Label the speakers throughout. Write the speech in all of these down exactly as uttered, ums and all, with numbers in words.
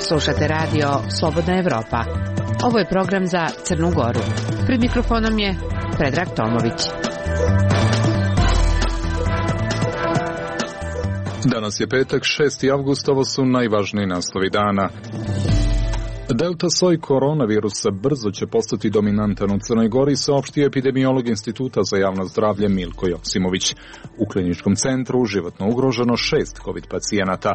Speaker 1: Slušate radio Slobodna Evropa. Ovo je program za Crnu Goru. Pred mikrofonom je Predrag Tomović.
Speaker 2: Danas je petak, šesti avgust, ovo su najvažniji naslovi dana. Delta soj koronavirusa brzo će postati dominantan u Crnoj Gori, saopštio epidemiolog Instituta za javno zdravlje Milko Joksimović. U kliničkom centru životno ugroženo šest kovid pacijenata.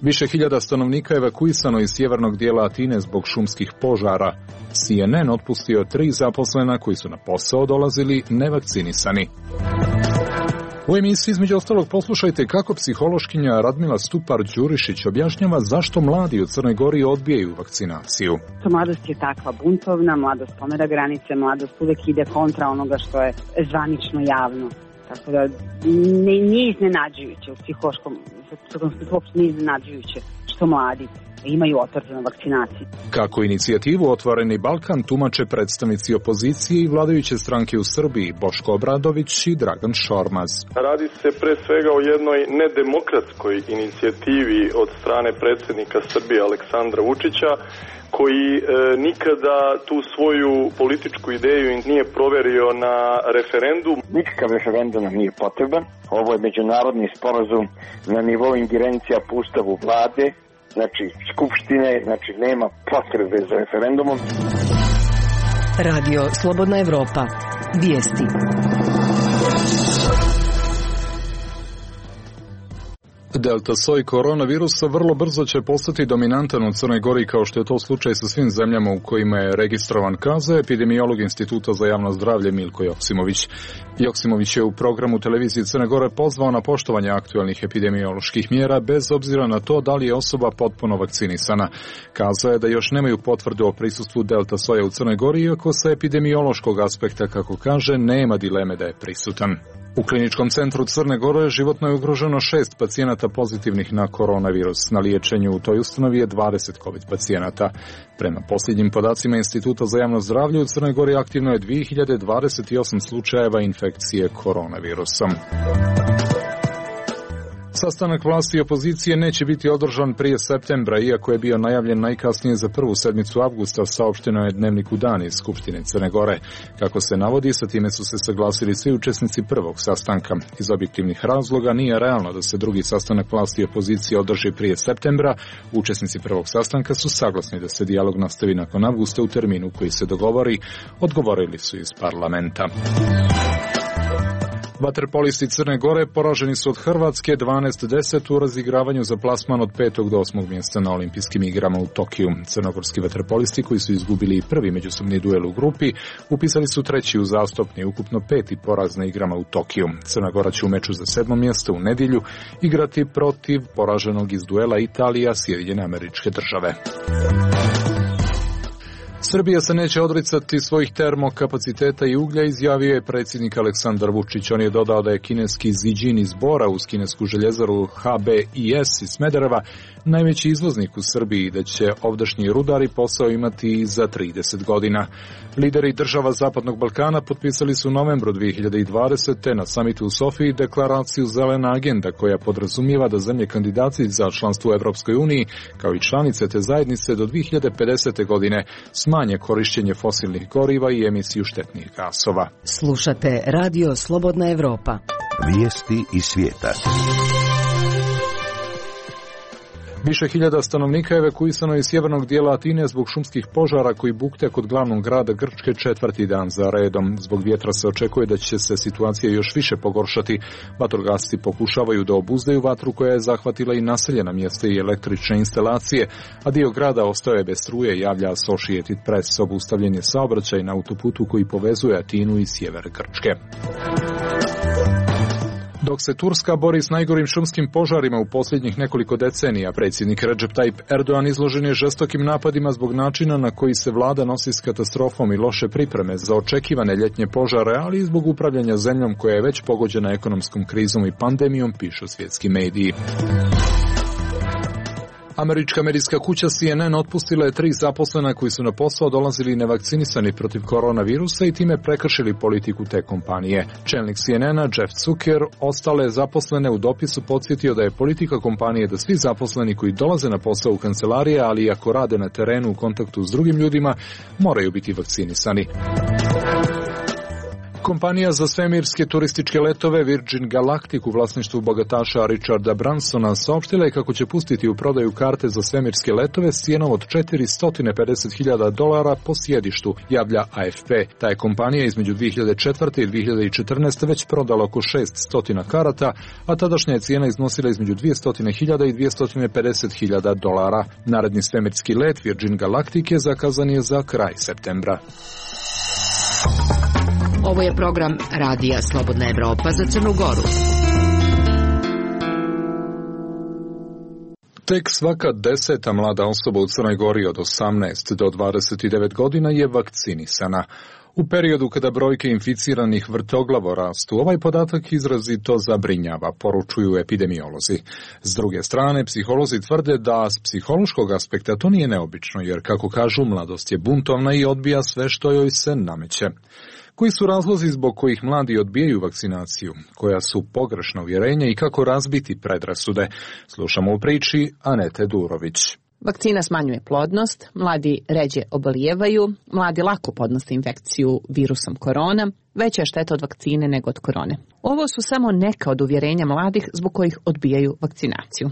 Speaker 2: Više hiljada stanovnika evakuisano iz sjevernog dijela Atine zbog šumskih požara. C N N otpustio tri zaposlena koji su na posao dolazili nevakcinisani. U emisiji između ostalog poslušajte kako psihološkinja Radmila Stupar-Đurišić objašnjava zašto mladi u Crnoj Gori odbijaju vakcinaciju.
Speaker 3: Mladost je takva buntovna, mladost pomera granice, mladost uvek ide kontra onoga što je zvanično javno. Tako da nije iznenađujuće u psihološkom, uopšte nije iznenađujuće što mladi imaju otvorenu vakcinaciju.
Speaker 2: Kako inicijativu Otvoreni Balkan tumače predstavnici opozicije i vladajuće stranke u Srbiji Boško Obradović i Dragan Šormaz.
Speaker 4: Radi se pre svega o jednoj nedemokratskoj inicijativi od strane predsjednika Srbije Aleksandra Vučića, koji e, nikada tu svoju političku ideju nije proverio na referendum.
Speaker 5: Nikakav referendum nam nije potreban. Ovo je međunarodni sporazum na nivou ingerencija po ustavu vlade, znači skupštine, znači nema potrebe za referendumom.
Speaker 6: Radio Slobodna Evropa. Vijesti.
Speaker 2: Delta soj koronavirusa vrlo brzo će postati dominantan u Crnoj Gori, kao što je to slučaj sa svim zemljama u kojima je registrovan, kazao epidemiolog Instituta za javno zdravlje Milko Joksimović. Joksimović je u programu televizije Crne Gore pozvao na poštovanje aktualnih epidemioloških mjera bez obzira na to da li je osoba potpuno vakcinisana. Kazao je da još nemaju potvrdu o prisustvu delta soja u Crnoj Gori, iako sa epidemiološkog aspekta, kako kaže, nema dileme da je prisutan. U kliničkom centru Crne Gore životno je ugroženo šest pacijenata pozitivnih na koronavirus. Na liječenju u toj ustanovi je dvadeset kovid pacijenata. Prema posljednjim podacima Instituta za javno zdravlje u Crnoj Gori aktivno je dvije hiljade dvadeset osam slučajeva infekcije koronavirusom. Sastanak vlasti i opozicije neće biti održan prije septembra, iako je bio najavljen najkasnije za prvu sedmicu avgusta, saopšteno je Dnevniku Dan iz Skupštine Crne Gore. Kako se navodi, sa time su se saglasili svi učesnici prvog sastanka. Iz objektivnih razloga nije realno da se drugi sastanak vlasti i opozicije održi prije septembra. Učesnici prvog sastanka su saglasni da se dijalog nastavi nakon avgusta u terminu koji se dogovori, odgovorili su iz parlamenta. Vaterpolisti Crne Gore poraženi su od Hrvatske dvanaest deset u razigravanju za plasman od petog do osmog mjesta na olimpijskim igrama u Tokiju. Crnogorski vaterpolisti, koji su izgubili i prvi međusobni duel u grupi, upisali su treći uzastopni, ukupno peti poraz na igrama u Tokiju. Crna Gora će u meču za sedmo mjesto u nedjelju igrati protiv poraženog iz duela Italija, Sjedinjene Američke Države. Srbija se neće odricati svojih termokapaciteta i uglja, izjavio je predsjednik Aleksandar Vučić. On je dodao da je kineski Ziđin iz Bora uz kinesku željezaru H B I S iz Smedereva najveći izvoznik u Srbiji i da će ovdašnji rudari posao imati za trideset godina. Lideri država Zapadnog Balkana potpisali su u novembru dvije hiljade dvadesete na samitu u Sofiji deklaraciju Zelena agenda, koja podrazumijeva da zemlje kandidati za članstvo u Evropskoj uniji, kao i članice te zajednice, do dvije hiljade pedesete godine smanje korištenje fosilnih goriva i emisiju štetnih gasova.
Speaker 6: Slušate Radio Slobodna Evropa.
Speaker 7: Vijesti iz svijeta.
Speaker 2: Više hiljada stanovnika je evakuisano iz sjevernog dijela Atine zbog šumskih požara koji bukte kod glavnog grada Grčke četvrti dan za redom. Zbog vjetra se očekuje da će se situacija još više pogoršati. Vatrogasci pokušavaju da obuzdaju vatru koja je zahvatila i naseljena mjesta i električne instalacije, a dio grada ostao je bez struje, javlja Associated Press. Obustavljen je saobraćaj na autoputu koji povezuje Atinu i sjever Grčke. Dok se Turska bori s najgorim šumskim požarima u posljednjih nekoliko decenija, predsjednik Recep Tayyip Erdogan izložen je žestokim napadima zbog načina na koji se vlada nosi s katastrofom i loše pripreme za očekivane ljetnje požare, ali i zbog upravljanja zemljom koja je već pogođena ekonomskom krizom i pandemijom, pišu svjetski mediji. Američka medijska kuća C N N otpustila je tri zaposlena koji su na posao dolazili nevakcinisani protiv koronavirusa i time prekršili politiku te kompanije. Čelnik C N N-a Jeff Zucker ostale zaposlene u dopisu podsjetio da je politika kompanije da svi zaposleni koji dolaze na posao u kancelarije, ali i ako rade na terenu u kontaktu s drugim ljudima, moraju biti vakcinisani. Kompanija za svemirske turističke letove Virgin Galactic u vlasništvu bogataša Richarda Bransona saopštila je kako će pustiti u prodaju karte za svemirske letove s cijenom od četiristo pedeset hiljada dolara po sjedištu, javlja A F P. Ta je kompanija između dvije hiljade četvrte i dvije hiljade četrnaeste. već prodala oko šessto karata, a tadašnja je cijena iznosila između dvjesto hiljada i dvjesto pedeset hiljada dolara. Naredni svemirski let Virgin Galactic je zakazan je za kraj septembra.
Speaker 1: Ovo je program Radija Slobodna Evropa za Crnu Goru.
Speaker 2: Tek svaka deseta mlada osoba u Crnoj Gori od osamnaest do dvadeset devet godina je vakcinisana. U periodu kada brojke inficiranih vrtoglavo rastu, ovaj podatak izrazito zabrinjava, poručuju epidemiolozi. S druge strane, psiholozi tvrde da s psihološkog aspekta to nije neobično, jer, kako kažu, mladost je buntovna i odbija sve što joj se nameće. Koji su razlozi zbog kojih mladi odbijaju vakcinaciju? Koja su pogrešna uvjerenja i kako razbiti predrasude? Slušamo u priči Anete Durović.
Speaker 8: Vakcina smanjuje plodnost, mladi ređe obolijevaju, mladi lako podnose infekciju virusom korona, veća je šteta od vakcine nego od korone. Ovo su samo neka od uvjerenja mladih zbog kojih odbijaju vakcinaciju.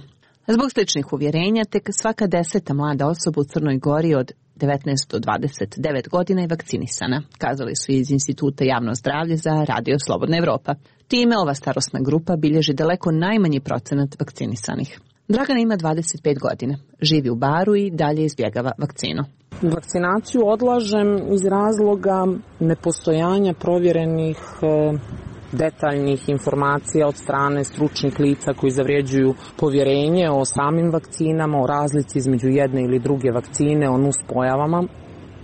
Speaker 8: Zbog sličnih uvjerenja, tek svaka deseta mlada osoba u Crnoj Gori od devetnaest do dvadeset devet godina je vakcinisana, kazali su iz Instituta javno zdravlje za Radio Slobodna Evropa. Time ova starosna grupa bilježi daleko najmanji procenat vakcinisanih. Dragana ima dvadeset pet godina, živi u Baru i dalje izbjegava vakcinu.
Speaker 9: Vakcinaciju odlažem iz razloga nepostojanja provjerenih detaljnih informacija od strane stručnih lica koji zavređuju povjerenje o samim vakcinama, o razlici između jedne ili druge vakcine, o nuspojavama.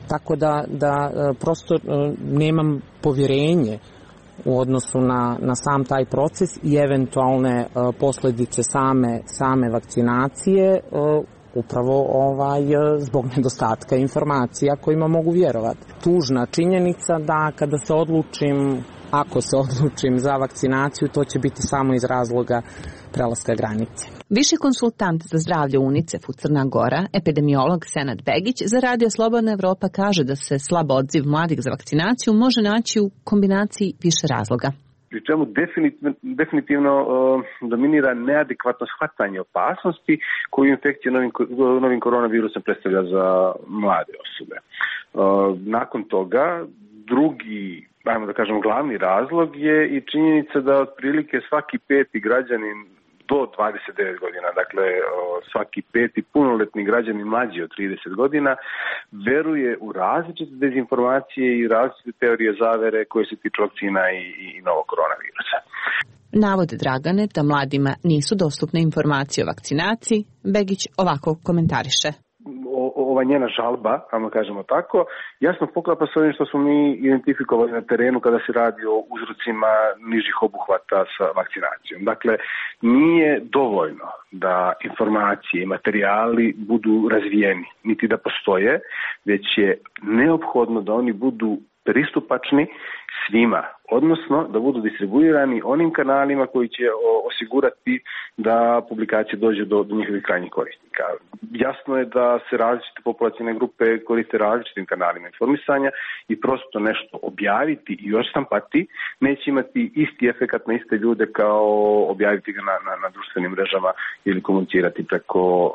Speaker 9: Tako da, da prosto nemam povjerenje u odnosu na, na sam taj proces i eventualne uh, posljedice same, same vakcinacije, uh, upravo ovaj, zbog nedostatka informacija kojima mogu vjerovati. Tužna činjenica da kada se odlučim, ako se odlučim za vakcinaciju, to će biti samo iz razloga prelaska granice.
Speaker 8: Viši konsultant za zdravlje UNICEF u Crna Gora, epidemiolog Senad Begić, za Radio Slobodna Evropa kaže da se slab odziv mladih za vakcinaciju može naći u kombinaciji više razloga.
Speaker 10: Pri čemu definitivno, definitivno uh, dominira neadekvatno shvatanje opasnosti koju infekcija novim, novim koronavirusom predstavlja za mlade osobe. Uh, nakon toga, drugi, ajmo da kažem, glavni razlog je i činjenica da otprilike svaki peti građanin do dvadeset devet godina, dakle svaki peti punoletni građanin mlađi od trideset godina, veruje u različite dezinformacije i različite teorije zavere koje se tiču vakcina i, i novog koronavirusa.
Speaker 8: Navode Dragane da mladima nisu dostupne informacije o vakcinaciji, Begić ovako komentariše.
Speaker 10: Ova njena žalba, ajmo kažemo tako, jasno poklapa s ovim što smo mi identifikovali na terenu kada se radi o uzrocima nižih obuhvata sa vakcinacijom. Dakle, nije dovoljno da informacije i materijali budu razvijeni, niti da postoje, već je neophodno da oni budu pristupačni svima, odnosno da budu distribuirani onim kanalima koji će osigurati da publikacije dođe do, do njihovih krajnjih korisnika. Jasno je da se različite populacijne grupe koriste različitim kanalima informisanja i prosto nešto objaviti i odštampati neće imati isti efekat na iste ljude kao objaviti ga na, na, na društvenim mrežama ili komunicirati preko uh,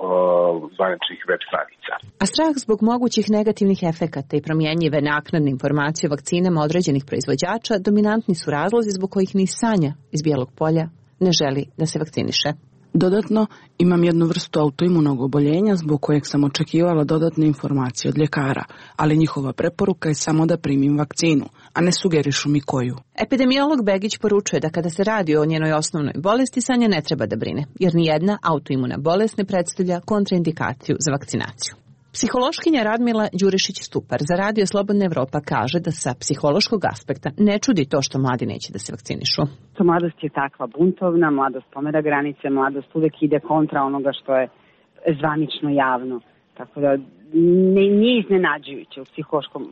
Speaker 10: zvaničnih web stranica.
Speaker 8: A strah zbog mogućih negativnih efekata i promjenjive naknadne informacije o vakcinama određenih proizvođača dominantni su razlozi zbog kojih ni Sanja iz Bijelog Polja ne želi da se vakciniše.
Speaker 11: Dodatno, imam jednu vrstu autoimunog oboljenja zbog kojeg sam očekivala dodatne informacije od ljekara, ali njihova preporuka je samo da primim vakcinu, a ne sugerišu mi koju.
Speaker 8: Epidemiolog Begić poručuje da kada se radi o njenoj osnovnoj bolesti, Sanja ne treba da brine, jer nijedna autoimuna bolest ne predstavlja kontraindikaciju za vakcinaciju. Psihološkinja Radmila Đurišić-Stupar za Radio Slobodna Evropa kaže da sa psihološkog aspekta ne čudi to što mladi neće da se vakcinišu.
Speaker 3: To mladost je takva buntovna, mladost pomera granice, mladost uvek ide kontra onoga što je zvanično javno. Tako da ne, nije iznenađujuće u psihološkom,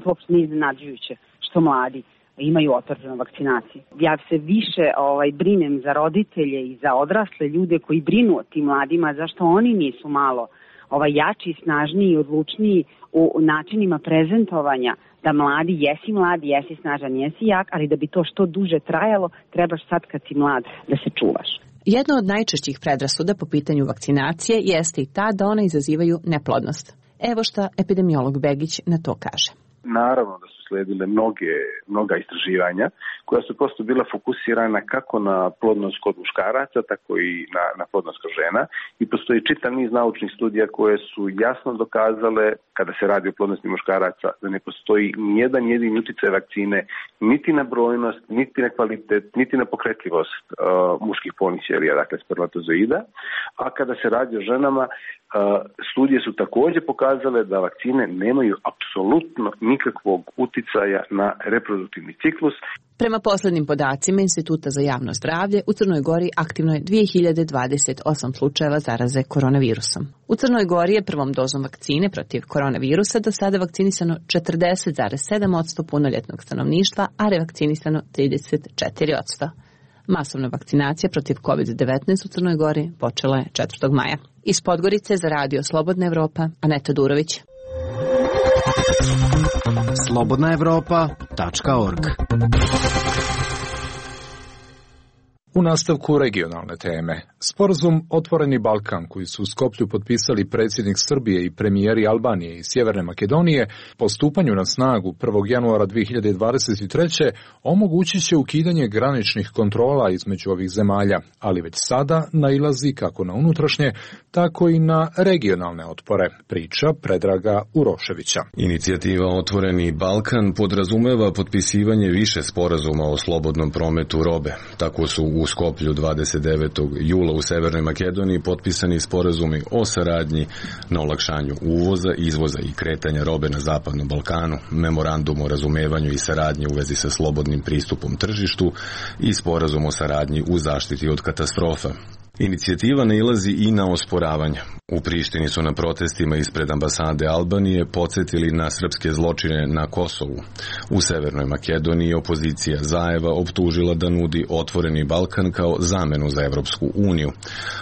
Speaker 3: uopšte nije iznenađujuće što mladi imaju otpor prema vakcinaciji. Ja se više ovaj, brinem za roditelje i za odrasle ljude koji brinu o tim mladima, zašto oni nisu malo ovaj, jači, snažniji i odlučniji u načinima prezentovanja da mladi, jesi mladi, jesi snažan, jesi jak, ali da bi to što duže trajalo, trebaš sad kad si mlad da se čuvaš.
Speaker 8: Jedna od najčešćih predrasuda po pitanju vakcinacije jeste i ta da one izazivaju neplodnost. Evo šta epidemiolog Begić na to kaže.
Speaker 10: Naravno da su sledile mnoge, mnoga istraživanja koja su prosto bila fokusirana kako na plodnost kod muškaraca, tako i na, na plodnost kod žena i postoji čitav niz naučnih studija koje su jasno dokazale, kada se radi o plodnosti muškaraca, da ne postoji nijedan jedini uticaj vakcine niti na brojnost, niti na kvalitet, niti na pokretljivost uh, muških polnih ćelija, dakle spermatozoida, a kada se radi o ženama, Uh, studije su također pokazale da vakcine nemaju apsolutno nikakvog uticaja na reproduktivni ciklus.
Speaker 8: Prema poslednjim podacima Instituta za javno zdravlje, u Crnoj Gori aktivno je dve hiljade dvadeset osam slučajeva zaraze koronavirusom. U Crnoj Gori je prvom dozom vakcine protiv koronavirusa do sada vakcinisano četrdeset zarez sedam posto punoljetnog stanovništva, a revakcinisano trideset četiri posto. Masovna vakcinacija protiv kovid devetnaest u Crnoj Gori počela je četvrtog maja. Iz Podgorice za radio Slobodna Evropa, Aneta Durović.
Speaker 12: slobodna evropa tačka org.
Speaker 2: U nastavku regionalne teme. Sporazum Otvoreni Balkan koji su u Skoplju potpisali predsjednik Srbije i premijeri Albanije i Sjeverne Makedonije po stupanju na snagu prvog januara dve hiljade dvadeset treće omogućit će ukidanje graničnih kontrola između ovih zemalja, ali već sada nailazi kako na unutrašnje, tako i na regionalne otpore, priča Predraga Uroševića.
Speaker 13: Inicijativa Otvoreni Balkan podrazumeva potpisivanje više sporazuma o slobodnom prometu robe. Tako su u Skoplju dvadeset devetog jula u Severnoj Makedoniji potpisani sporazumi o saradnji na olakšanju uvoza, izvoza i kretanja robe na Zapadnom Balkanu, memorandum o razumevanju i saradnji u vezi sa slobodnim pristupom tržištu i sporazum o saradnji u zaštiti od katastrofa. Inicijativa nailazi i na osporavanja. U Prištini su na protestima ispred ambasade Albanije podsjetili na srpske zločine na Kosovu. U Severnoj Makedoniji opozicija Zaeva optužila da nudi Otvoreni Balkan kao zamenu za Evropsku uniju,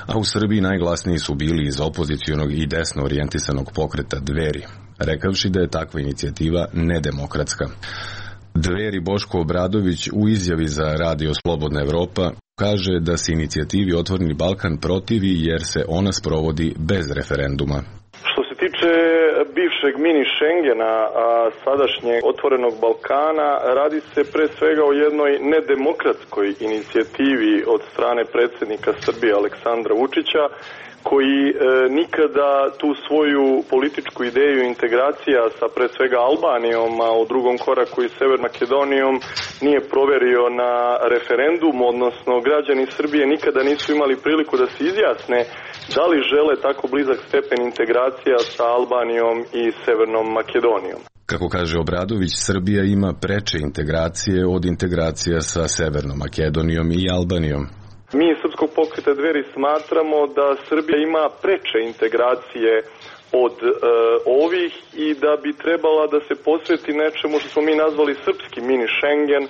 Speaker 13: a u Srbiji najglasniji su bili iz opozicijonog i desno orijentisanog pokreta Dveri, rekavši da je takva inicijativa nedemokratska. Dveri Boško Obradović u izjavi za radio Slobodna Evropa kaže da se inicijativi Otvoreni Balkan protivi jer se ona sprovodi bez referenduma.
Speaker 4: Što se tiče bivšeg mini Schengena, a sadašnjeg Otvorenog Balkana, radi se pre svega o jednoj nedemokratskoj inicijativi od strane predsjednika Srbije Aleksandra Vučića, koji e, nikada tu svoju političku ideju integracija sa pre svega Albanijom, a u drugom koraku i Severnom Makedonijom nije proverio na referendum, odnosno građani Srbije nikada nisu imali priliku da se izjasne da li žele tako blizak stepen integracija sa Albanijom i Severnom Makedonijom.
Speaker 13: Kako kaže Obradović, Srbija ima preče integracije od integracija sa Severnom Makedonijom i Albanijom.
Speaker 4: Mi iz Srpskog pokreta Dveri smatramo da Srbija ima preče integracije od e, ovih i da bi trebala da se posveti nečemu što smo mi nazvali srpski mini Schengen,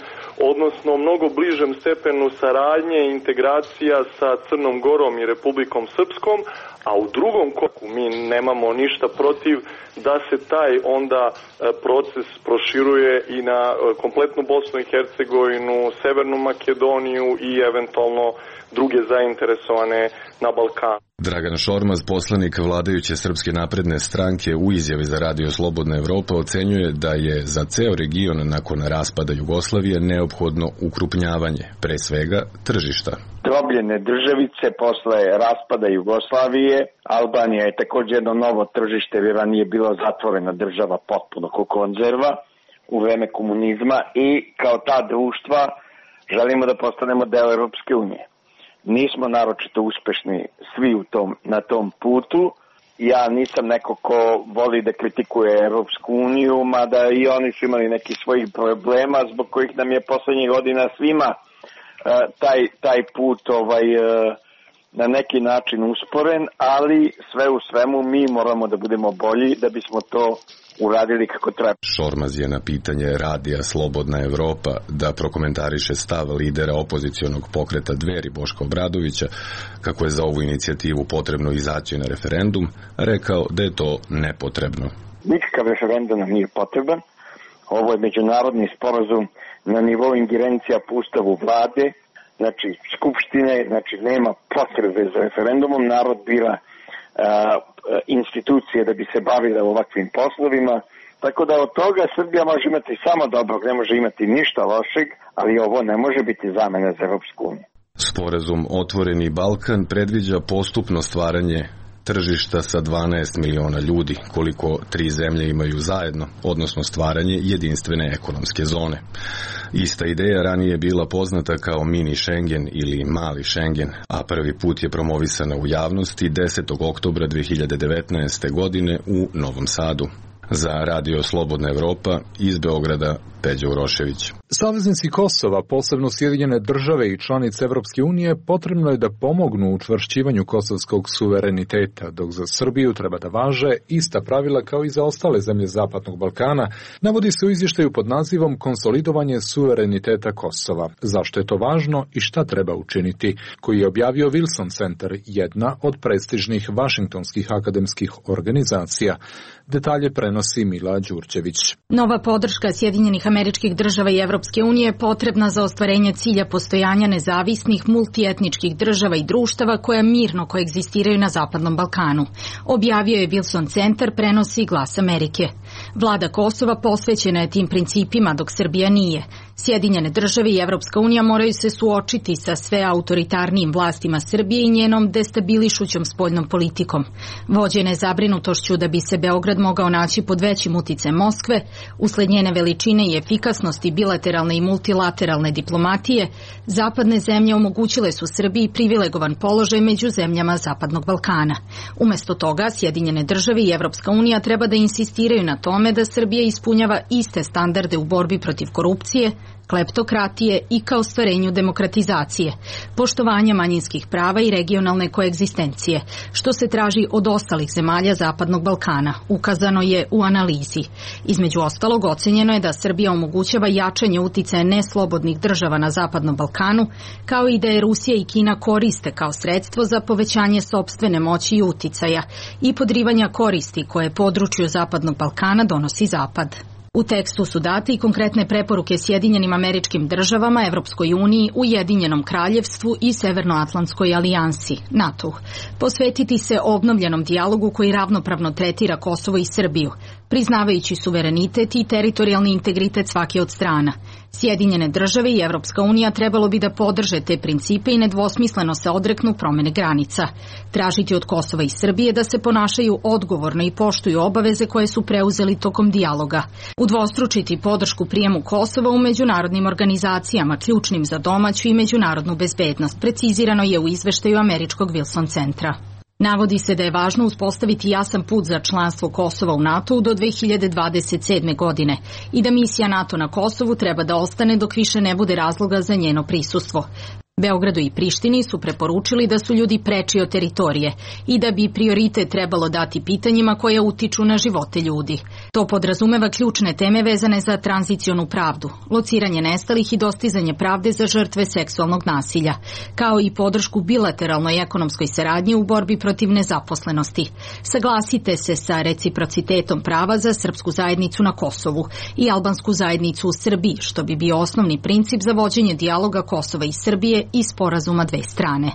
Speaker 4: odnosno mnogo bližem stepenu saradnje i integracija sa Crnom Gorom i Republikom Srpskom, a u drugom koraku mi nemamo ništa protiv da se taj onda proces proširuje i na kompletnu Bosnu i Hercegovinu, Severnu Makedoniju i eventualno druge zainteresovane na Balkanu.
Speaker 13: Dragan Šormaz, poslanik vladajuće Srpske napredne stranke, u izjavi za radio Slobodna Evropa ocenjuje da je za ceo region nakon raspada Jugoslavije neophodno ukrupnjavanje, pre svega tržišta.
Speaker 5: Drobljene državice posle raspada Jugoslavije, Albanija je također jedno novo tržište, jer ranije bila zatvorena država potpuno ko konzerva u vreme komunizma i kao ta društva želimo da postanemo deo Europske unije. Nismo naročito uspešni svi u tom, na tom putu. Ja nisam neko ko voli da kritikuje Europsku uniju, mada i oni su imali neki svojih problema zbog kojih nam je poslednjih godina svima uh, taj, taj put ovaj, uh, na neki način usporen, ali sve u svemu mi moramo da budemo bolji da bismo to uradili kako treba.
Speaker 13: Šormaz je na pitanje radija Slobodna Evropa da prokomentariše stav lidera opozicionog pokreta Dveri Boška Obradovića, kako je za ovu inicijativu potrebno izaći na referendum, rekao da je to nepotrebno.
Speaker 5: Nikakav referendum nam nije potreban. Ovo je međunarodni sporazum na nivou ingerencija po ustavu vlade, znači skupštine, znači nema potrebe za referendumom, narod bira a, institucije da bi se bavile ovakvim poslovima, tako da od toga Srbija može imati samo dobro, ne može imati ništa lošeg, ali ovo ne može biti zamena za Evropsku uniju.
Speaker 13: Sporazum Otvoreni Balkan predviđa postupno stvaranje tržišta sa dvanaest miliona ljudi, koliko tri zemlje imaju zajedno, odnosno stvaranje jedinstvene ekonomske zone. Ista ideja ranije je bila poznata kao mini Schengen ili mali Schengen, a prvi put je promovisana u javnosti desetog oktobra dve hiljade devetnaeste. godine u Novom Sadu. Za Radio Slobodna Evropa iz Beograda, Peđa Urošević.
Speaker 2: Saveznici Kosova, posebno Sjedinjene države i članice Evropske unije, potrebno je da pomognu u učvršćivanju kosovskog suvereniteta, dok za Srbiju treba da važe ista pravila kao i za ostale zemlje Zapadnog Balkana, navodi se u izvještaju pod nazivom Konsolidovanje suvereniteta Kosova. Zašto je to važno i šta treba učiniti, koji je objavio Wilson Center, jedna od prestižnih vašingtonskih akademskih organizacija. Detalje prenosi Mila Đurđević.
Speaker 14: Nova podrška Sjedinjenih Američkih država i Evropske unije je potrebna za ostvarenje cilja postojanja nezavisnih multietničkih država i društava koja mirno koegzistiraju na Zapadnom Balkanu. Objavio je Wilson Centar, prenosi Glas Amerike. Vlada Kosova posvećena je tim principima, dok Srbija nije. Sjedinjene države i Evropska unija moraju se suočiti sa sve autoritarnijim vlastima Srbije i njenom destabilišućom spoljnom politikom. Vođene zabrinutošću da bi se Beograd mogao naći pod većim uticajem Moskve, usled njene veličine i efikasnosti bilateralne i multilateralne diplomatije, zapadne zemlje omogućile su Srbiji privilegovan položaj među zemljama Zapadnog Balkana. Umesto toga, Sjedinjene države i Evropska unija treba da insistiraju na tome da Srbija ispunjava iste standarde u borbi protiv korupcije, kleptokratije i ka ostvarenju demokratizacije, poštovanja manjinskih prava i regionalne koegzistencije, što se traži od ostalih zemalja Zapadnog Balkana, ukazano je u analizi. Između ostalog, ocenjeno je da Srbija omogućava jačanje uticaja neslobodnih država na Zapadnom Balkanu, kao i da je Rusija i Kina koriste kao sredstvo za povećanje sopstvene moći i uticaja i podrivanja koristi koje području Zapadnog Balkana donosi Zapad. U tekstu su date i konkretne preporuke Sjedinjenim Američkim državama, Evropskoj uniji, Ujedinjenom kraljevstvu i Severnoatlantskoj alijansi, NATO. Posvetiti se obnovljenom dijalogu koji ravnopravno tretira Kosovo i Srbiju, priznavajući suverenitet i teritorijalni integritet svake od strana. Sjedinjene države i Evropska unija trebalo bi da podrže te principe i nedvosmisleno se odreknu promene granica. Tražiti od Kosova i Srbije da se ponašaju odgovorno i poštuju obaveze koje su preuzeli tokom dijaloga. Udvostručiti podršku prijemu Kosova u međunarodnim organizacijama, ključnim za domaću i međunarodnu bezbednost, precizirano je u izveštaju Američkog Wilson Centra. Navodi se da je važno uspostaviti jasan put za članstvo Kosova u NATO do dve hiljade dvadeset sedme. godine i da misija NATO na Kosovu treba da ostane dok više ne bude razloga za njeno prisustvo. Beogradu i Prištini su preporučili da su ljudi preči od teritorije i da bi prioritet trebalo dati pitanjima koja utiču na živote ljudi. To podrazumeva ključne teme vezane za tranzicionu pravdu, lociranje nestalih i dostizanje pravde za žrtve seksualnog nasilja, kao i podršku bilateralnoj ekonomskoj saradnji u borbi protiv nezaposlenosti. Saglasite se sa reciprocitetom prava za srpsku zajednicu na Kosovu i albansku zajednicu u Srbiji, što bi bio osnovni princip za vođenje dijaloga Kosova i Srbije i sporazuma dve strane.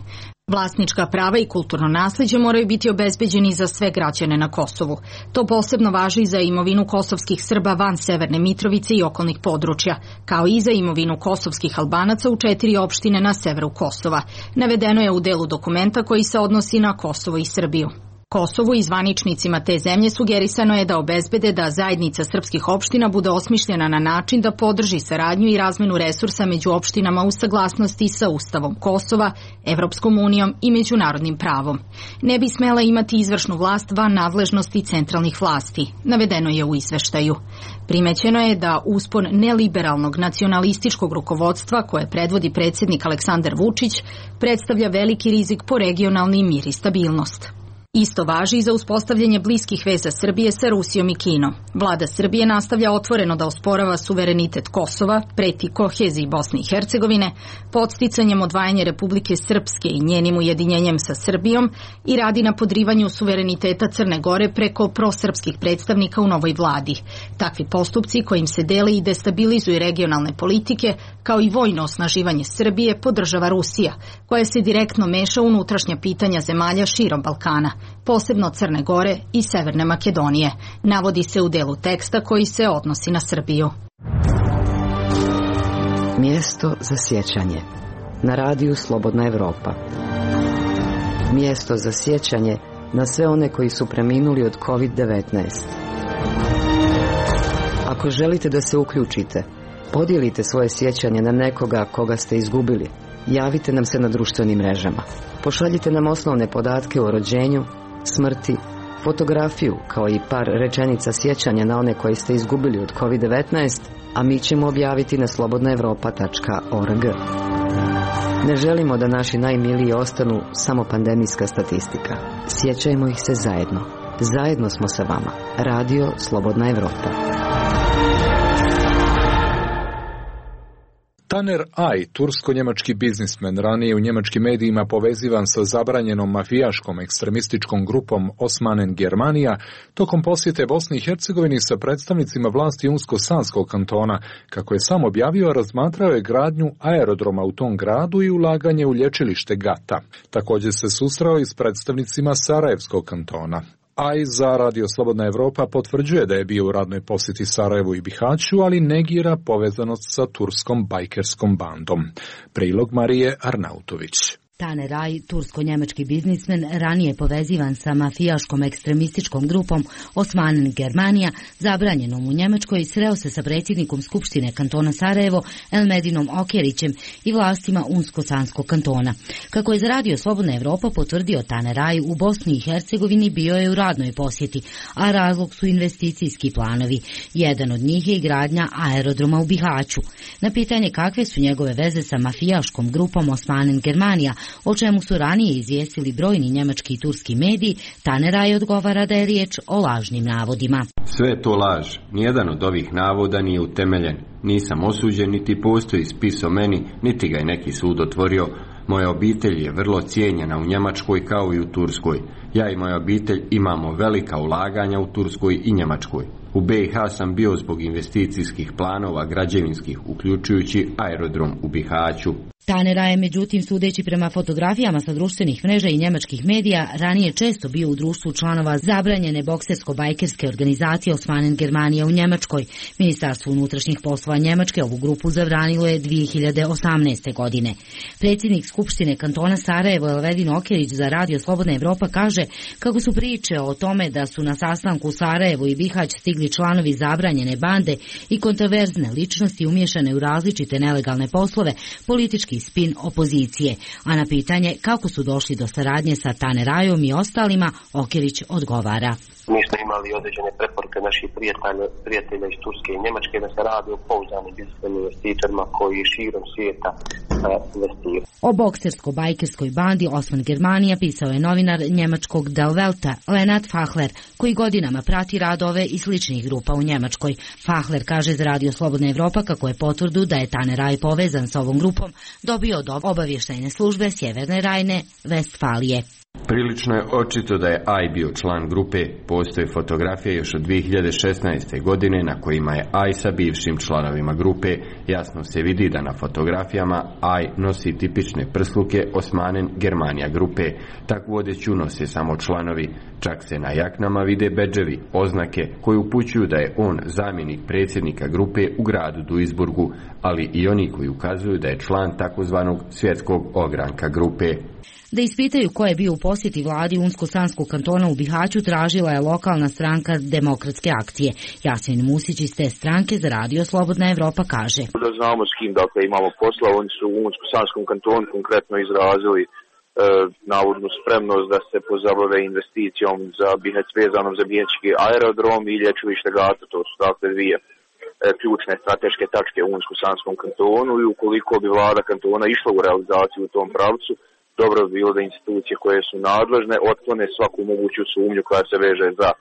Speaker 14: Vlasnička prava i kulturno naslijeđe moraju biti obezbeđeni za sve građane na Kosovu. To posebno važi i za imovinu kosovskih Srba van Severne Mitrovice i okolnih područja, kao i za imovinu kosovskih Albanaca u četiri opštine na severu Kosova. Navedeno je u delu dokumenta koji se odnosi na Kosovo i Srbiju. Kosovu i zvaničnicima te zemlje sugerisano je da obezbede da zajednica srpskih opština bude osmišljena na način da podrži saradnju i razmenu resursa među opštinama u saglasnosti sa Ustavom Kosova, Evropskom unijom i međunarodnim pravom. Ne bi smela imati izvršnu vlast van nadležnosti centralnih vlasti, navedeno je u izveštaju. Primećeno je da uspon neliberalnog nacionalističkog rukovodstva koje predvodi predsjednik Aleksandar Vučić predstavlja veliki rizik po regionalni mir i stabilnost. Isto važi i za uspostavljanje bliskih veza Srbije sa Rusijom i Kinom. Vlada Srbije nastavlja otvoreno da osporava suverenitet Kosova, preti koheziji Bosne i Hercegovine, podsticanjem odvajanja Republike Srpske i njenim ujedinjenjem sa Srbijom i radi na podrivanju suvereniteta Crne Gore preko prosrpskih predstavnika u novoj vladi. Takvi postupci kojim se dele i destabilizuju regionalne politike, kao i vojno osnaživanje Srbije, podržava Rusija, koja se direktno meša u unutrašnja pitanja zemalja širom Balkana, posebno Crne Gore i Severne Makedonije, navodi se u delu teksta koji se odnosi na Srbiju.
Speaker 6: Mjesto za sjećanje. Na radiju Slobodna Evropa. Mjesto za sjećanje na sve one koji su preminuli od kovid devetnaest. Ako želite da se uključite, podijelite svoje sjećanje na nekoga koga ste izgubili. Javite nam se na društvenim mrežama. Pošaljite nam osnovne podatke o rođenju, smrti, fotografiju, kao i par rečenica sjećanja na one koji ste izgubili od kovid devetnaest, a mi ćemo objaviti na slobodna evropa tačka org. Ne želimo da naši najmiliji ostanu samo pandemijska statistika. Sjećajmo ih se zajedno. Zajedno smo sa vama. Radio Slobodna Evropa.
Speaker 2: Taner Aj, tursko-njemački biznismen, ranije u njemačkim medijima povezivan sa zabranjenom mafijaškom ekstremističkom grupom Osmanen Germanija, tokom posjete Bosni i Hercegovini sa predstavnicima vlasti Unsko-Sanskog kantona, kako je sam objavio, razmatrao je gradnju aerodroma u tom gradu i ulaganje u lječilište Gata. Također se susreo i s predstavnicima Sarajevskog kantona. Aj za Radio Slobodna Evropa potvrđuje da je bio u radnoj posjeti Sarajevu i Bihaću, ali negira povezanost sa turskom bajkerskom bandom. Prilog Marije Arnautović.
Speaker 15: Taner Aj, tursko-njemački biznismen, ranije povezivan sa mafijaškom ekstremističkom grupom Osmanen Germanija, zabranjenom u Njemačkoj, sreo se sa predsjednikom Skupštine kantona Sarajevo, Elmedinom Okjerićem i vlastima Unsko-Sanskog kantona. Kako je za Radio Slobodna Evropa potvrdio Taner Aj, u Bosni i Hercegovini bio je u radnoj posjeti, a razlog su investicijski planovi. Jedan od njih je i gradnja aerodroma u Bihaću. Na pitanje kakve su njegove veze sa mafijaškom grupom Osmanen Germanija, o čemu su ranije izvijestili brojni njemački i turski mediji, Taner Aj odgovara da je riječ o lažnim navodima.
Speaker 16: Sve je to laž. Nijedan od ovih navoda nije utemeljen. Nisam osuđen, niti postoji spis o meni, niti ga je neki sud otvorio. Moja obitelj je vrlo cijenjena u Njemačkoj kao i u Turskoj. Ja i moja obitelj imamo velika ulaganja u Turskoj i Njemačkoj. U B i H sam bio zbog investicijskih planova građevinskih, uključujući aerodrom u Bihaću.
Speaker 15: Taner Aj je, međutim, sudeći prema fotografijama sa društvenih mreža i njemačkih medija, ranije često bio u društvu članova zabranjene boksersko-bajkerske organizacije Osmanen Germanija u Njemačkoj. Ministarstvo unutrašnjih poslova Njemačke ovu grupu zabranilo je dvije hiljade osamnaeste. godine. Predsjednik Skupštine kantona Sarajevo Elvedin Okjerić za Radio Slobodna Evropa kaže kako su priče o tome da su na sastanku u Sarajevu i Bihać stigli članovi zabranjene bande i kontroverzne ličnosti umiješane u različite nelegalne poslove, politički spin opozicije, a na pitanje kako su došli do saradnje sa Taner Ajom i ostalima, Okjerić odgovara.
Speaker 17: Mi smo imali određene preporuke naših prijatelja, prijatelja iz Turske i Njemačke da se radi o pouzdanim biznismenim investitorima koji širom svijeta investiraju.
Speaker 15: O boksersko-bajkerskoj bandi Osman Germanija pisao je novinar njemačkog Der Welta Lennart Fachler, koji godinama prati radove i sličnih grupa u Njemačkoj. Fachler kaže za Radio Slobodna Evropa kako je potvrdu da je Taner Aj povezan sa ovom grupom dobio od obavještajne službe Sjeverne Rajne, Vestfalije.
Speaker 16: Prilično je očito da je Aj bio član grupe. Postoje fotografije još od dvije hiljade šesnaeste. godine na kojima je Aj sa bivšim članovima grupe. Jasno se vidi da na fotografijama Aj nosi tipične prsluke Osmanen Germanija grupe. Takvu odjeću nose samo članovi. Čak se na jaknama vide bedževi, oznake koji upućuju da je on zamjenik predsjednika grupe u gradu Duisburgu, ali i oni koji ukazuju da je član takozvanog svjetskog ogranka grupe.
Speaker 15: Da ispitaju ko je bio u posjeti vladi Unsko-Sanskog kantona u Bihaću tražila je lokalna stranka Demokratske akcije. Jasmin Musić iz te stranke za radio Slobodna Evropa kaže:
Speaker 18: Da znamo s kim dakle imamo posla, oni su u Unsko-Sanskom kantonu konkretno izrazili e, navodnu spremnost da se pozabave investicijom za Bihać, vezanom za bihaćki aerodrom i lječilište Gata. To su dakle dvije e, ključne strateške tačke u Unsko-Sanskom kantonu i ukoliko bi vlada kantona išla u realizaciju u tom pravcu, dobro bi bilo da institucije koje su nadležne otklone svaku moguću sumnju koja se veže za e,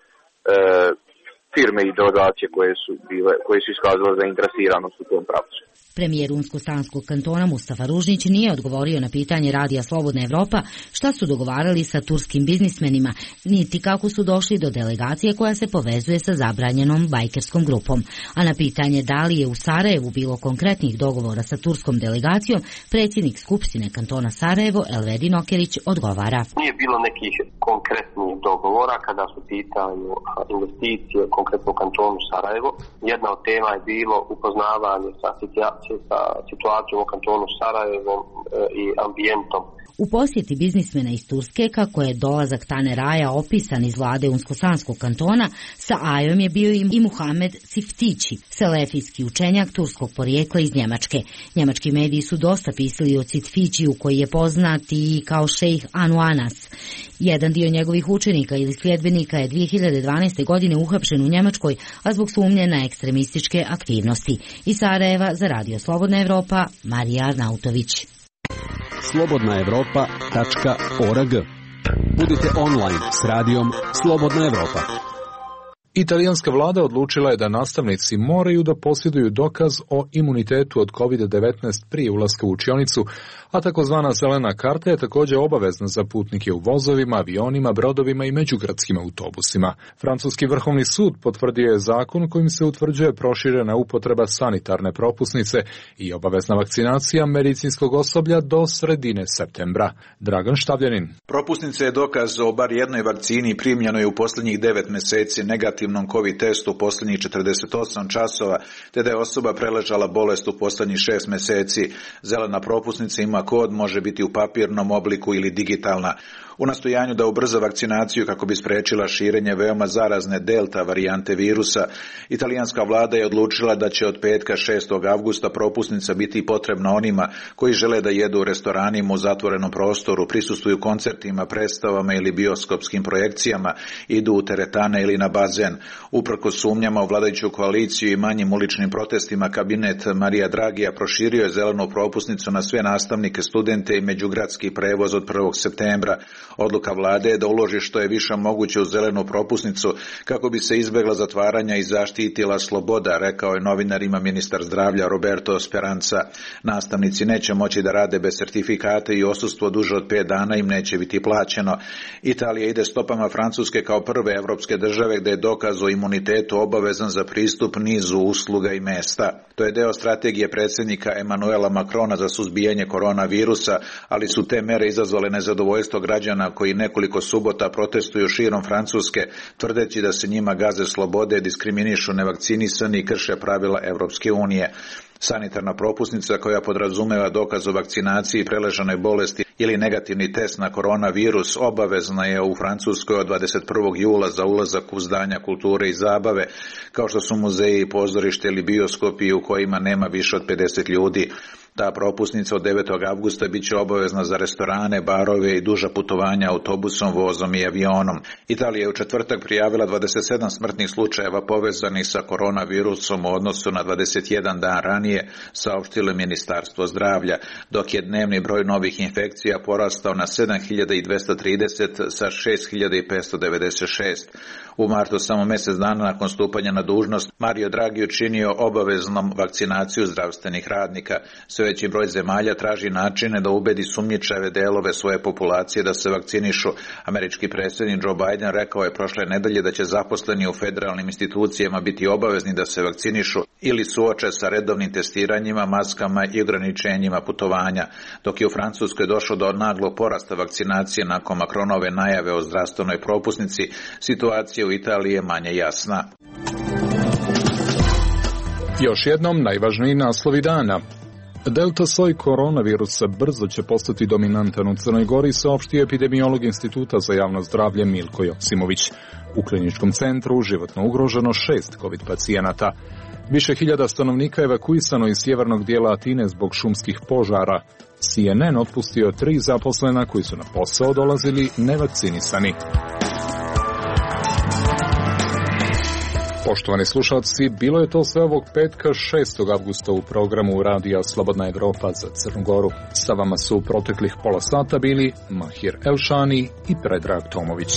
Speaker 18: firme i delegacije koje su bile, koje su iskazale zainteresiranost u tom pravcu.
Speaker 15: Premijer Unsko-Sanskog kantona Mustafa Ružnić nije odgovorio na pitanje radija Slobodna Evropa šta su dogovarali sa turskim biznismenima, niti kako su došli do delegacije koja se povezuje sa zabranjenom bajkerskom grupom. A na pitanje da li je u Sarajevu bilo konkretnih dogovora sa turskom delegacijom, predsjednik Skupštine kantona Sarajevo Elvedin Okerić odgovara:
Speaker 17: Nije bilo nekih konkretnih dogovora kada su pitanju investicije konkretno u kantonu Sarajevo. Jedna od tema je bilo upoznavanje sa sa situacijom u kantonu Sarajevom i ambijentom.
Speaker 15: U posjeti biznismena iz Turske, kako je dolazak Tane Raja opisan iz vlade Unsko-Sanskog kantona, sa Ajom je bio i Muhamed Siftići, selefijski učenjak turskog porijekla iz Njemačke. Njemački mediji su dosta pisali o Siftićiju, koji je poznat i kao šejh Anuanas. Jedan dio njegovih učenika ili sljedbenika je dvije hiljade dvanaeste. godine uhapšen u Njemačkoj, a zbog sumnje na ekstremističke aktivnosti. Iz Sarajeva za radio Slobodna Evropa, Marija Arnautović.
Speaker 12: slobodna evropa tačka org. Budite online s radijom Slobodna Evropa.
Speaker 2: Italijanska vlada odlučila je da nastavnici moraju da posjeduju dokaz o imunitetu od kovid devetnaest prije ulaska u učionicu, a takozvana zelena karta je također obavezna za putnike u vozovima, avionima, brodovima i međugradskim autobusima. Francuski vrhovni sud potvrdio je zakon kojim se utvrđuje proširena upotreba sanitarne propusnice i obavezna vakcinacija medicinskog osoblja do sredine septembra. Dragan Štavljanin.
Speaker 19: Propusnica je dokaz o bar jednoj vakcini primljenoj u posljednjih devet mjeseci, negativnom COVID testu u posljednjih četrdeset osam časova, te da je osoba preležala bolest u posljednjih šest mjeseci. Zelena propusnica ima kod, može biti u papirnom obliku ili digitalna. U nastojanju da ubrza vakcinaciju kako bi spriječila širenje veoma zarazne delta varijante virusa, italijanska vlada je odlučila da će od petka šestog avgusta propusnica biti potrebna onima koji žele da jedu u restoranima u zatvorenom prostoru, prisustvuju koncertima, predstavama ili bioskopskim projekcijama, idu u teretane ili na bazen. Uprkos sumnjama u vladajuću koaliciju i manjim uličnim protestima, kabinet Marija Dragija proširio je zelenu propusnicu na sve nastavnike, studente i međugradski prevoz od prvog septembra. Odluka vlade je da uloži što je više moguće u zelenu propusnicu kako bi se izbjegla zatvaranja i zaštitila sloboda, rekao je novinarima ministar zdravlja Roberto Speranza. Nastavnici neće moći da rade bez sertifikata i odsustvo duže od pet dana im neće biti plaćeno. Italija ide stopama Francuske kao prve evropske države gdje je dokaz o imunitetu obavezan za pristup nizu usluga i mesta. To je deo strategije predsjednika Emanuela Macrona za suzbijanje koronavirusa, ali su te mere izazvale nezadovoljstvo građana koji nekoliko subota protestuju širom Francuske, tvrdeći da se njima gaze slobode, diskriminišu nevakcinisani i krše pravila Evropske unije. Sanitarna propusnica koja podrazumeva dokaz o vakcinaciji i preležanoj bolesti ili negativni test na koronavirus obavezna je u Francuskoj od dvadeset prvog jula za ulazak u zdanja kulture i zabave, kao što su muzeji, pozorište ili bioskopi u kojima nema više od pedeset ljudi. Ta propusnica od devetog avgusta bit će obavezna za restorane, barove i duža putovanja autobusom, vozom i avionom. Italija je u četvrtak prijavila dvadeset sedam smrtnih slučajeva povezanih sa koronavirusom u odnosu na dvadeset jedan dan ranije, saopštilo Ministarstvo zdravlja, dok je dnevni broj novih infekcija porastao na sedam hiljada dvjesto trideset sa šest hiljada petsto devedeset šest. U martu, samo mjesec dana nakon stupanja na dužnost, Mario Draghi učinio obaveznom vakcinaciju zdravstvenih radnika. Sve veći broj zemalja traži načine da ubedi sumnjičave delove svoje populacije da se vakcinišu. Američki predsjednik Joe Biden rekao je prošle nedelje da će zaposleni u federalnim institucijama biti obavezni da se vakcinišu ili suoče sa redovnim testiranjima, maskama i ograničenjima putovanja. Dok je u Francuskoj došlo do naglog porasta vakcinacije nakon Macronove najave o zdravstvenoj propusnici, situacija u Italiji je manje jasna.
Speaker 2: Još jednom najvažniji naslovi dana. Delta soj koronavirusa brzo će postati dominantan u Crnoj Gori, saopštio epidemiolog Instituta za javno zdravlje Milko Joksimović. U kliničkom centru životno ugroženo šest COVID pacijenata. Više hiljada stanovnika evakuisano iz sjevernog dijela Atine zbog šumskih požara. C N N otpustio tri zaposlena koji su na posao dolazili nevakcinisani. Poštovani slušalci, bilo je to sve ovog petka šestog avgusta u programu Radija Slobodna Evropa za Crnu Goru. Sa vama su u proteklih pola sata bili Mahir Elšani i Predrag Tomović.